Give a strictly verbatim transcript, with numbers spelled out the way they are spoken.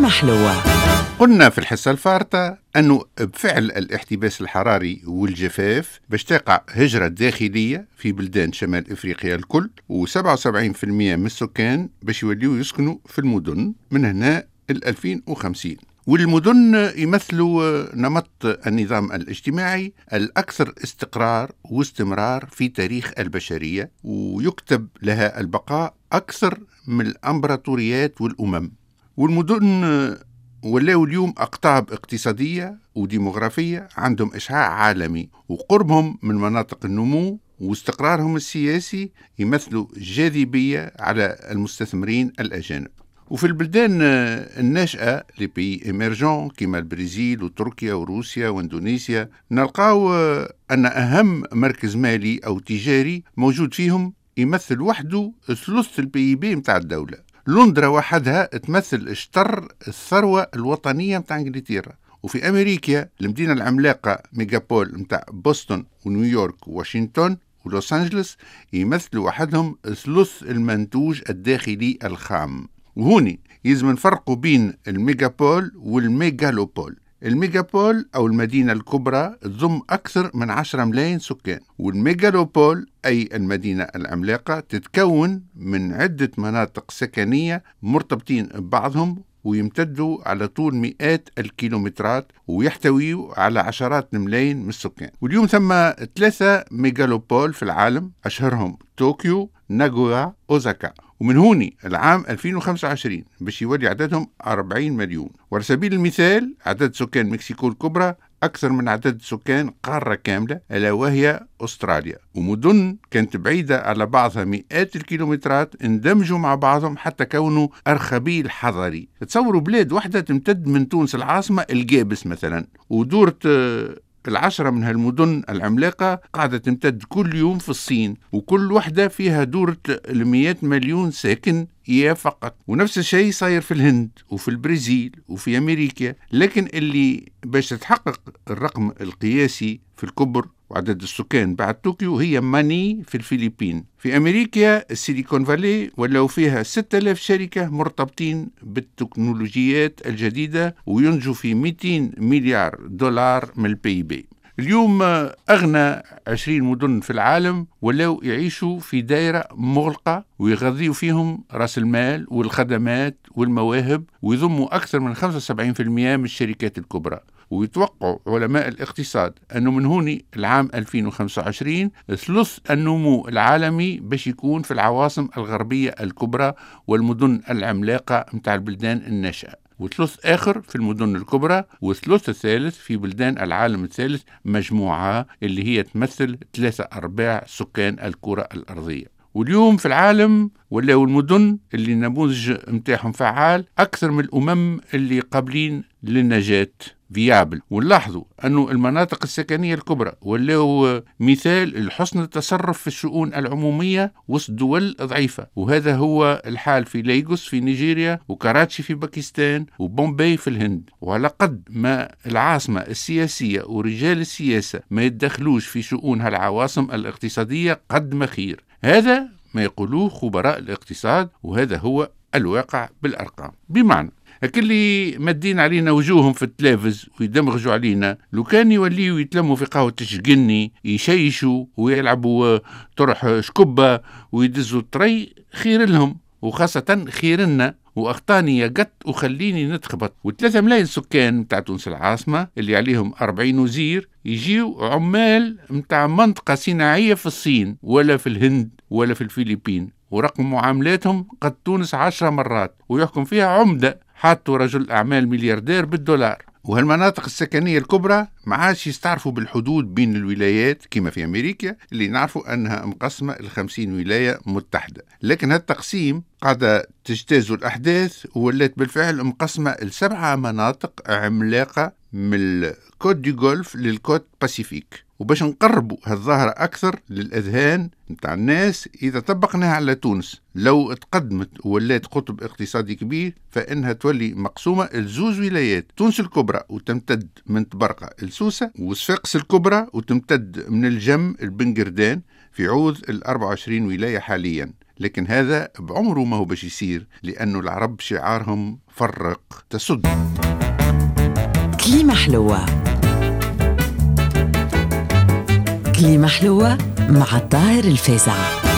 كلمة حلوة. قلنا في الحصة الفارطة أنه بفعل الاحتباس الحراري والجفاف باش تقع هجرة داخلية في بلدان شمال إفريقيا الكل، وسبعة وسبعين في المية من السكان باش يوليو يسكنوا في المدن من هنا ل ألفين وخمسين. والمدن يمثلوا نمط النظام الاجتماعي الأكثر استقرار واستمرار في تاريخ البشرية، ويكتب لها البقاء أكثر من الأمبراطوريات والأمم. والمدن ولاو اليوم أقطاب اقتصادية وديموغرافية عندهم إشعاع عالمي، وقربهم من مناطق النمو واستقرارهم السياسي يمثلوا جاذبية على المستثمرين الأجانب. وفي البلدان الناشئة les pays émergents كما البرازيل وتركيا وروسيا واندونيسيا، نلقاو أن أهم مركز مالي أو تجاري موجود فيهم يمثل وحده ثلث ال PIB متاع الدولة. لندرا وحدها تمثل شطر الثروة الوطنية متاع انجلترا. وفي أمريكا المدينة العملاقة mégapole متاع بوسطن ونيويورك وواشنطن ولوس أنجلس يمثلوا وحدهم ثلث المنتوج الداخلي الخام. وهوني يلزم نفرقوا بين ال mégapole وال mégalopole. ال mégapole أو المدينة الكبرى تضم أكثر من عشرة ملايين سكان، وال mégalopole أي المدينة العملاقة تتكون من عدة مناطق سكنية مرتبطين ببعضهم ويمتدوا على طول مئات الكيلومترات ويحتويوا على عشرات الملايين من السكان. واليوم ثم ثلاثة mégalopoles في العالم، أشهرهم طوكيو، ناغويا، أوزاكا. ومن هوني العام ألفين وخمسة وعشرين باش يولي عددهم أربعين مليون. وعلى سبيل المثال عدد سكان مكسيكو الكبرى أكثر من عدد سكان قارة كاملة ألا وهي أستراليا. ومدن كانت بعيدة على بعضها مئات الكيلومترات اندمجوا مع بعضهم حتى كونوا أرخبيل حضري. تصوروا بلاد واحدة تمتد من تونس العاصمة الجابس مثلا، ودورة العشرة من هالمدن العملاقة قاعدة تمتد كل يوم في الصين، وكل وحدة فيها دورة المئات مليون ساكن يا فقط. ونفس الشيء صاير في الهند وفي البرازيل وفي أمريكا. لكن اللي باش تتحقق الرقم القياسي في الكبر وعدد السكان بعد طوكيو هي ماني في الفلبين. في أمريكا السيليكون فالي ولاو فيها ستة آلاف شركة مرتبطين بالتكنولوجيات الجديدة وينجوا في مئتين مليار دولار من ال PIB. اليوم أغنى عشرين مدن في العالم ولاو يعيشوا في دائرة مغلقة ويغذيوا فيهم رأس المال والخدمات والمواهب، ويضموا أكثر من خمسة وسبعين في المئة من الشركات الكبرى. ويتوقع علماء الاقتصاد أنه من هوني العام ألفين وخمسة وعشرين ثلث النمو العالمي باش يكون في العواصم الغربية الكبرى والمدن العملاقة متاع البلدان الناشئة، وثلث آخر في المدن الكبرى، وثلث الثالث في بلدان العالم الثالث مجموعة اللي هي تمثل ثلاثة أرباع سكان الكرة الأرضية. واليوم في العالم ولاو المدن اللي النموذج متاعهم فعال أكثر من الأمم اللي قابلين للنجاة viables. ونلاحظوا أنه المناطق السكنية الكبرى ولاو مثال لحسن التصرف في الشؤون العمومية وسط دول ضعيفة، وهذا هو الحال في ليغوس في نيجيريا، وكراتشي في باكستان، وبومباي في الهند. وعلى قد ما العاصمة السياسية ورجال السياسة ما يتدخلوش في شؤون هالعواصم الاقتصادية قد ما خير. هذا ما يقولوه خبراء الاقتصاد، وهذا هو الواقع بالأرقام. بمعنى اللي مدين علينا وجوههم في التلفز ويدمغجوا علينا، لو كان يوليوا يتلموا في قهوة الشقني يشيشوا ويلعبوا طرح شكبة ويدزوا الطري خير لهم، وخاصة خير لنا. وأخطاني يا قط وخليني نتخبط. وثلاثة ملايين سكان متاع تونس العاصمة اللي عليهم أربعين وزير يجيو عمال متاع منطقة صناعية في الصين ولا في الهند ولا في الفلبين، ورقم معاملاتهم قد تونس عشرة مرات، ويحكم فيها عمدة حاطوا رجل أعمال ملياردير بالدولار. وهالمناطق السكنية الكبرى ما عادش يستعرفوا بالحدود بين الولايات كما في أمريكا اللي نعرفوا أنها مقسمة لخمسين ولاية متحدة، لكن هالتقسيم قاعدة تجتاز الأحداث وولات بالفعل مقسمة لسبعة مناطق عملاقة من ال côte du Golfe لل côte Pacifique. وباش نقربوا هالظاهرة أكثر للأذهان نتاع الناس، إذا طبقناها على تونس لو تقدمت وولات قطب اقتصادي كبير فإنها تولي مقسومة لزوز ولايات، تونس الكبرى وتمتد من طبرقة لسوسة، وصفاقس الكبرى وتمتد من الجم البنقردان في عوض ال أربعة وعشرين ولاية حاليا. لكن هذا بعمره ما هو باش يصير، لأنه العرب شعارهم فرق تسد. كليمة حلوة، كليمة حلوة مع الطاهر الفازع.